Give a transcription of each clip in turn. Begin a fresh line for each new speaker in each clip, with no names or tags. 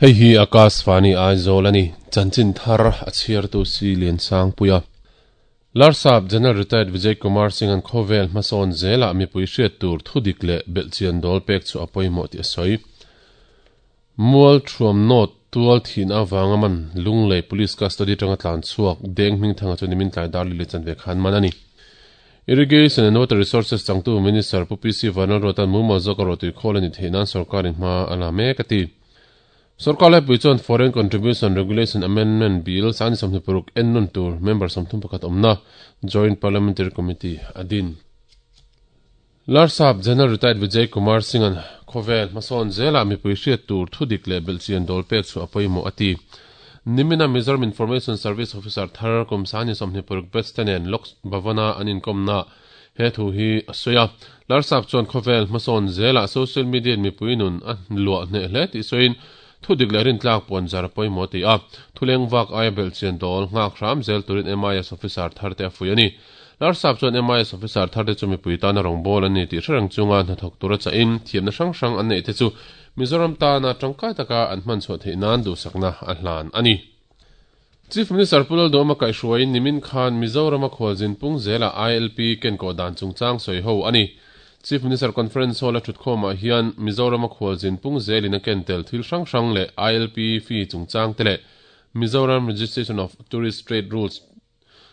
Hei hi Akashvani Aizawl a ni. Chanchin thar a chhiartu si Liansangpuia. Larsap General Retired Vijay Kumar Singh-a'n khawvel hmasawn zelah mipui hriat tur thudik leh belhchian dawl pek chu a pawimawh tih a sawi. Mual Thuam North tual thihna avanga man Lunglei Police Custody atanga tlan chhuak Deng Hmingthanga chu nimin tlai dar lili chanve khan man a ni. Irrigation and Water Resources changtu Minister Pu PC Vanlalruata'n mumal zawk a rawhtui khawl a ni theih nan sorkarin hma a la mek a ti. Sorkar laipui chuan Foreign Contribution Regulation Amendment Bill sangni 26 en nawn tur member 31 awmna Joint Parliamentary Committee a din. Larsap General Retired Vijay Kumar Singh-a'n khawvel hmasawn zelah mipui hriat tur thudik leh belhchian dawl pek chu a pawimawh a ti. Nimina Mizoram Information Service Officer thar kum sangni 26 batch te nen Lok Bhavan-a an inkawmna he thu hi a sawi a. Larsap chuan khawvel hmasawn zelah social media-in mipui nun a luah hneh hle tih sawiin thudik leh rintlak puan zar a pawimawh a ti a. Thuleng vak aia belhchian dawl nghak hram zel turin MIS Officer thar te a fuih a ni. Larsap chuan MIS officer tharte chu mipui tana rawngbâwl an ni tih hre reng chunga hnathawk tura chahin thiamna hrang hrang an neihte chu Mizoram tana tangkai taka an hman chhuah theih nan duhsakna a hlan a ni. Chief Minister Pu Lalduhawma kaihhruaiin nimin khan Mizorama khualzin pung zela ILP kenkawh dan chungchang sawi ho a ni. Chief Minister Conference Hall a thutkhawmah hian Mizorama khualzin pung zelin a ken tel thil hrang hrang leh ILP fee chungchang te leh Mizoram Registration of Tourist Trade Rules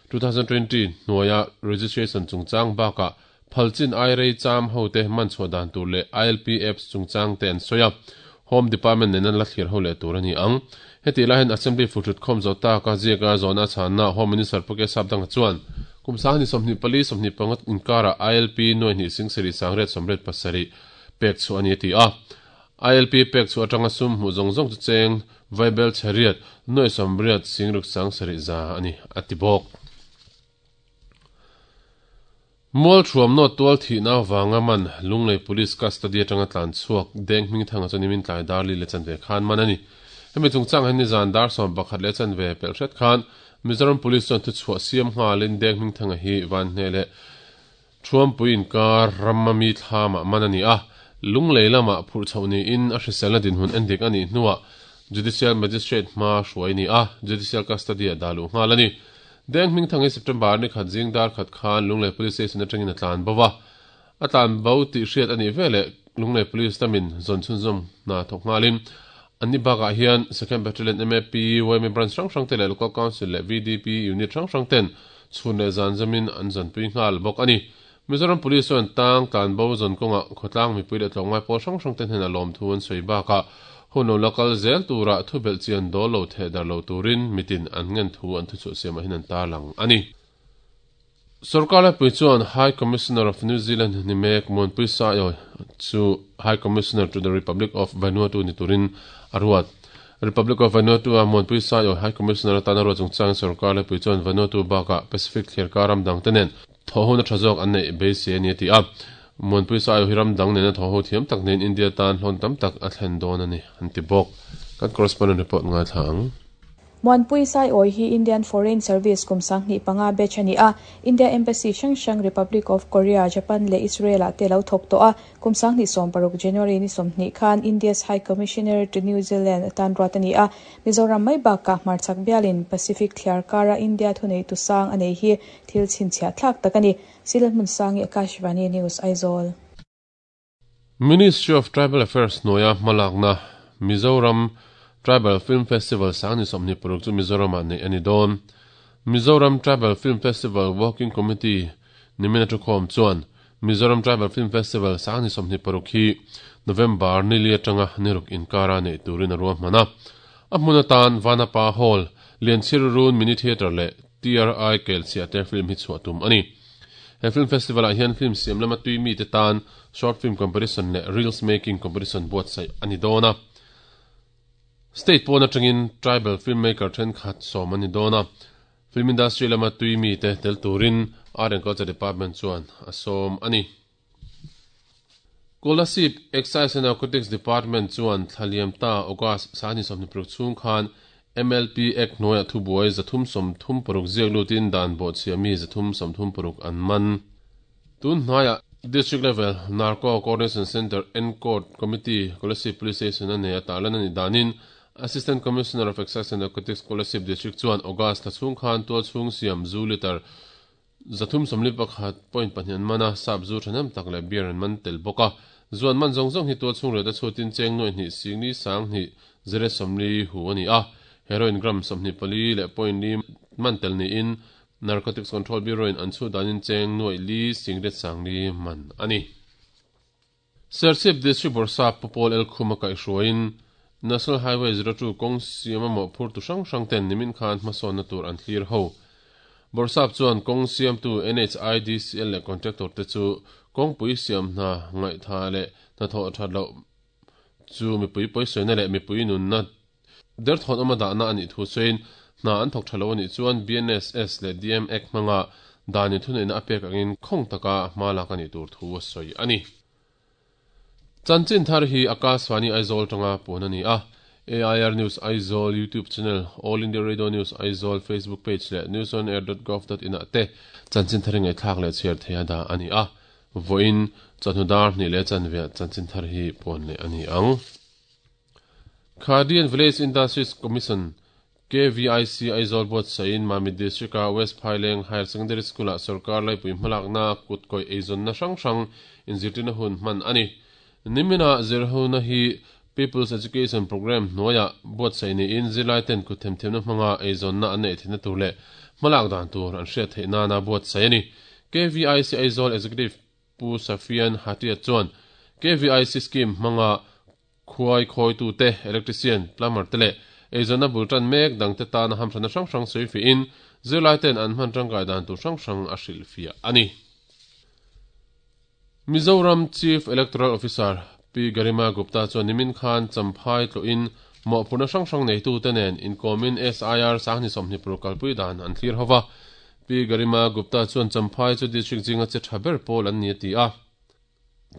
2020 hnuaia registration chungchang bakah phalchin ai rei cham hote man chhuah dan tur leh ILP apps chungchang te an sawi a, Home Department nena la thlir ho leh tur a ni ang. Hetih lai hian Assembly futhut khawm zawh taka ziaka zawhna a chhanna Home Minister Pu K Sapdanga chuan kum sanghnih 24 25 inkarah ILP nuai hnih sing sarih sangriat sawmriat pasarih pek chhuah a ni a ti a. ILP pek chhuah atanga sum hmuh zawng zawng chu cheng vaibel chheriat nuai sawmriat singruk sang sarih za a ni, a ti bawk. Mual Thuam Nawt tual thihna avanga man Lunglei Police Custody atanga tlan chhuak Deng Hmingthanga chu nimin tlai dar li leh chanve khan man a ni. Hemi chungchang hian nizan dar 11 leh chanve pelh hret khan Mizoram Police chuan thuchhuah siam nghalin Deng Hmingthanga hi Vanhneh leh Thuampui inkar rama mi thlamah man a ni a, Lunglei lamah phurh chhoh niin a hriselna dinhmun endik a nih hnuah Judicial Magistrate hma hruai a ni a, Judicial Custody-ah dah luh nghal a ni. Deng Hmingthang hi September ni khat zing dar khat khan Lunglei Police Station atangin a tlan bo va, a tlan bo tih hriat a nih veleh Lunglei Police lamin zawn chhunzawm hna thawk nghalin an ni bakah hian Second Battalion MAP, yma Branch hrang hrang te leh Local Council leh VDP Unit hrang hrang ten Chhun leh zan zamin an zanpui nghal bawk a ni. Mizoram Police chuan tang tlan bo zawn kawngah khawtlang mipui leh tlawmngai pawl hrang hrang te hnenah lawmthu an sawi bakah hun lo la kal zel turah thu belh chian dawl lo theh dar lo turin mitin an ngen thu an thuchhuah siamah hian an tarlang a ni. Sorkar laipui chuan High Commissioner of New Zealand ni mek Muanpui Saiawi chu High Commissioner to the Republic of Vanuatu ni turin a ruat. Republic of Vanuatu-a Muanpui Saiawi High Commissioner atana ruat chungchangin sorkar laipui chuan Vanuatu bakah Pacific thliarkar ram dangte nen thawhhona tha zawk an neih beisei a ni a ti a. Muanpui Saiawi hi ram dang nena thawhho thiam tak niin India tan hlawn tam tak a thlen dawn a ni an ti bawk. Kan correspondent report ngaithla ang.
Muanpui Saiawi hi Indian Foreign Service kum 25 batch a ni a, India Embassy hrang hrang Republic of Korea, Japan leh Israel ah te lo thawk tawh a. Kum 2016 January ni 20 khan India's High Commissioner to New Zealand atan ruat a ni a. Mizoram mai bakah hmarchhak bialin Pacific thliar kara India thuneitu sang a nei hi thil chhinchhiah thlak tak a ni. Silhmun Sangi Akashvani News Aizawl.
Ministry of Tribal Affairs hnuaia hmalakna Mizoram Tribal Film Festival sangni 26 chu Mizoramah neih a ni dawn. Mizoram Tribal Film Festival Working Committee nimina thukhawm chuan Mizoram Tribal Film Festival sangni 26 hi November ni li atanga ni ruk inkara neih turin a ruahman a. A hmun atan Vanapa Hall, Lianchhir Run Mini Theatre leh TRI Kelchhiah te film hi chhuah tum a ni. He film festival ah hian film siam lama tui mite tan short film competition leh reels making competition buatsaih a ni dawn a. State pawn atangin tribal film maker thenkhat sawm a ni dawn a. Film industry lama tui mite tel turin Art and Culture Department chuan a sawm a ni. Kolasib Excise and Narcotics Department chuan thlaliam ta August 26 chhung khan MLP Act hnuaiah thubuai 336 ziak lutin dan bawhchhiah mi 336 an man. Tun hnuaiah District Level Narco Coordination Centre N-Court Committee Kolasib Police Station a nei a tarlan a nih danin Assistant Commissioner of Excise and Narcotics Kolasib District chuan August thla chhung khan tualchhung siam zu litre 341.2 an man a, sap zu thahnem tak leh beer an man tel bawk a. Zu an man zawng zawng hi tualchhung rate a chhuatin cheng nuaih hnih singli sang hnih zere 40 hu a ni a, heroin gram 24 leh point li man tel niin Narcotics Control Bureau-in an chhut danin cheng nuaih li singlet sangli man a ni. Serchhip District Bawrhsap Pu Paul Elkhum a kaihhruaiin National Highway 02 kawng siam a mawhphurtu hrang hrang ten nimin khan hmasawnna tur an thlir ho. Bawrhsap chuan kawng siamtu NHIDCL leh contractor te chu kawngpui siam hna ngaihtha leh hnathawh that loh chu mipui pawisawiina leh mipui nunna Derthawn awma dahna a nih thu sawiin, hna an thawk tha lo a nih chuan BNSS leh DM Act hmanga danin thuneihna a pek angin khawng taka hma lak a nih tur thu a sawi a ni. Chanchin thar hi Akashvani Aizawl tanga puan a ni a, AIR News Aizawl YouTube channel, All India Radio News Aizawl Facebook page leh newsonair.gov.in ah te chanchin thar hi ngaihthlak leh chhiar theiha dah a ni a, vawiin chawhnu dar hnih leh chanveah chanchin thar hi puan leh a ni ang. Khadian Village Industries Commission, KVIC, Aizawl buatsaihin Mamit District-a West Phaileng Higher Secondary School-ah sorkar laipui hmalakna kut kawih eizawnna hrang hrang inzirtirna hun hman a ni. Nimina zirhona hi People's Education Programme hnuaiah buatsaih niin zirlaiten kut themthiamna hmanga eizawnna an neih theihna tur leh hmalak dan tur an hriat theih nana buatsaih a ni. KVIC Aizawl Executive Pu Safian Hatia chuan KVIC scheme hmanga Khuai khawitute, electrician, plumber te leh eizawnna bul tan mek dangte tana hamthanna hrang hrang sawi fiahin zirlaiten an hman tangkai dan tur hrang hrang a hrilhfiah a ni. Mizoram Chief Electoral Officer Pi Garima Gupta chuan nimin khan Champhai tlawhin mawhphurhna hrang hrang neitute nen inkawmin SIR sanghnih 20 paruk kalpui dan an thlir ho va. Pi Garima Gupta chuan Champhai chu district zinga che tha ber pawl an ni a ti a.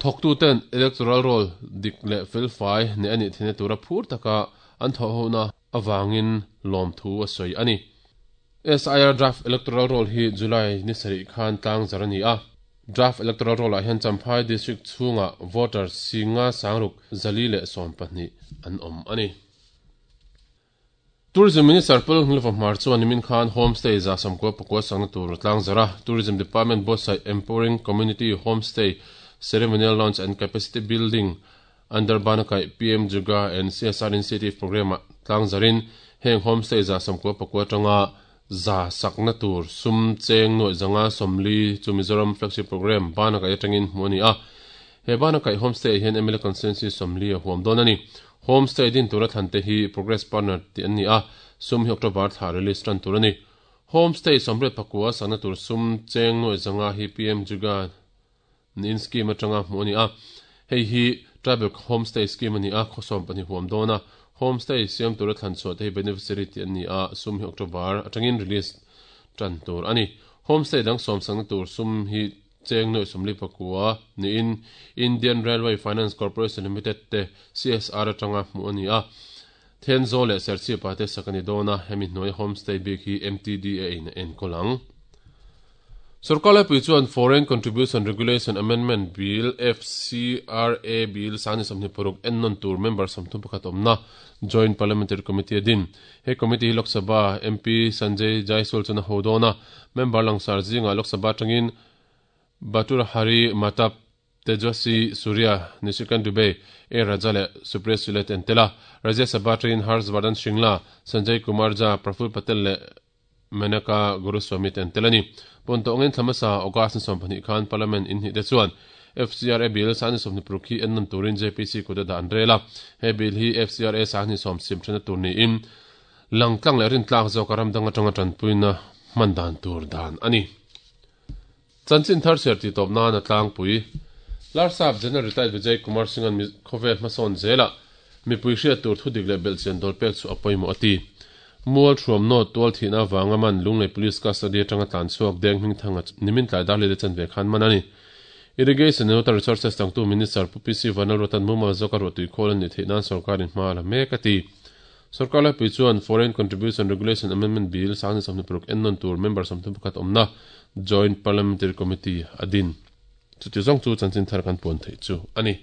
Thawktuten electoral roll dik leh felfai neih a nih theihna tura phur taka an thawhhona avangin lawmthu a sawi a ni. SIR Draft Electoral Roll hi July ni sarih khan tlangzar a ni a. Draft Electoral Roll-ah hian Champhai District chhungah voter singa sangruk 412 an awm a ni. Tourism Minister Paul Nghilva Hmar chuan nimin khan Homestay 194 sakna tur a tlangzarh a, Tourism Department buatsaih Empowering Community Homestay Ceremonial Launch and Capacity Building under Banakaih PM Juga and CSR Initiative Programme-ah tlangzarhin heng Homestay 194 atanga 100 sakna tur sum cheng nuaih 540 chu Mizoram Flagship Programme Banakaih atangin hmuh a ni a. He Banakaih Homestay hian mla Constituency 40 a huam dawn a ni. Homestay din tura thlan te hi Progress Partner tih an ni a, sum hi October thla release tan tur a ni. Homestay 84 sakna tur sum cheng nuaih 500 hi PM Juga niin scheme atanga hmuh a ni a, hei hi Tribal Homestay Scheme a ni a, khaw 12 huam dawn a. Homestay siam tura thlan chhuah te hi beneficiary tih an ni a, sum hi October atangin release tan tur a ni. Homestay dang sawm sakna tur sum hi Cheng nuaih 49 niin Indian Railway Finance Corporation Limited te CSR atanga hmuh a ni a. Thenzawl leh Serchhipa te sak a ni dawn a, hemi hnuai homestay bik hi MTDA in a enkawl ang. Sorkar laipui chuan Foreign Contribution Regulation Amendment Bill, FCRA Bill, 2026 ennawn tur member 31 awmna Joint Parliamentary Committee a din. He committee hi Lok Sabha MP Sanjay Jaiswal chuan a ho dawn a, member langsar zingah Lok Sabha atangin Bhatrahari Mahtab, Tejasvi Surya, Nishikant Dubey, A Raja leh Supriya Sule te an tel a. Rajya Sabha atangin Harsh Vardhan Shringla, Sanjay Kumar Jha, Praful Patel leh Menaka Guruswamy te an tel a ni. Pawn tawh angin thla hmasa August ni 12 khan Parliament in hnih te chuan FCRA bill 2026 hi ennawn turin JPC kut a dah an rel a. He bill hi FCRA 2010 sim thena tur niin langtlang leh rintlak zawka ram dang atanga tanpuina hman dan tur dan a ni. Chanchin thar chhiar tih tawp nan a tlangpui. Larsap General Retired Vijay Kumar Singh-a'n khawvel hmasawn zelah mipui hriat tur thudik leh belhchian dawl pek chu a pawimawh a ti. Mual thuam nawt tual thihna avanga man Lunglei Police Custody atanga tlan chhuak Deng Hmingthanga chu nimin tlai dar leh chanve khan man a ni. Irrigation and Water Resources tangtu Minister Pu PC Vanlalruata'n mumal zawka ruahtui khawl a nih theih nan sorkarin hma a la mek a ti. Sorkar laipui chuan Foreign Contribution Regulation Amendment Bill 2026 ennawn tur member 31 awmna Joint Parliamentary Committee a din. Chuti zawng chu chanchin thar kan puan theih chu a ni.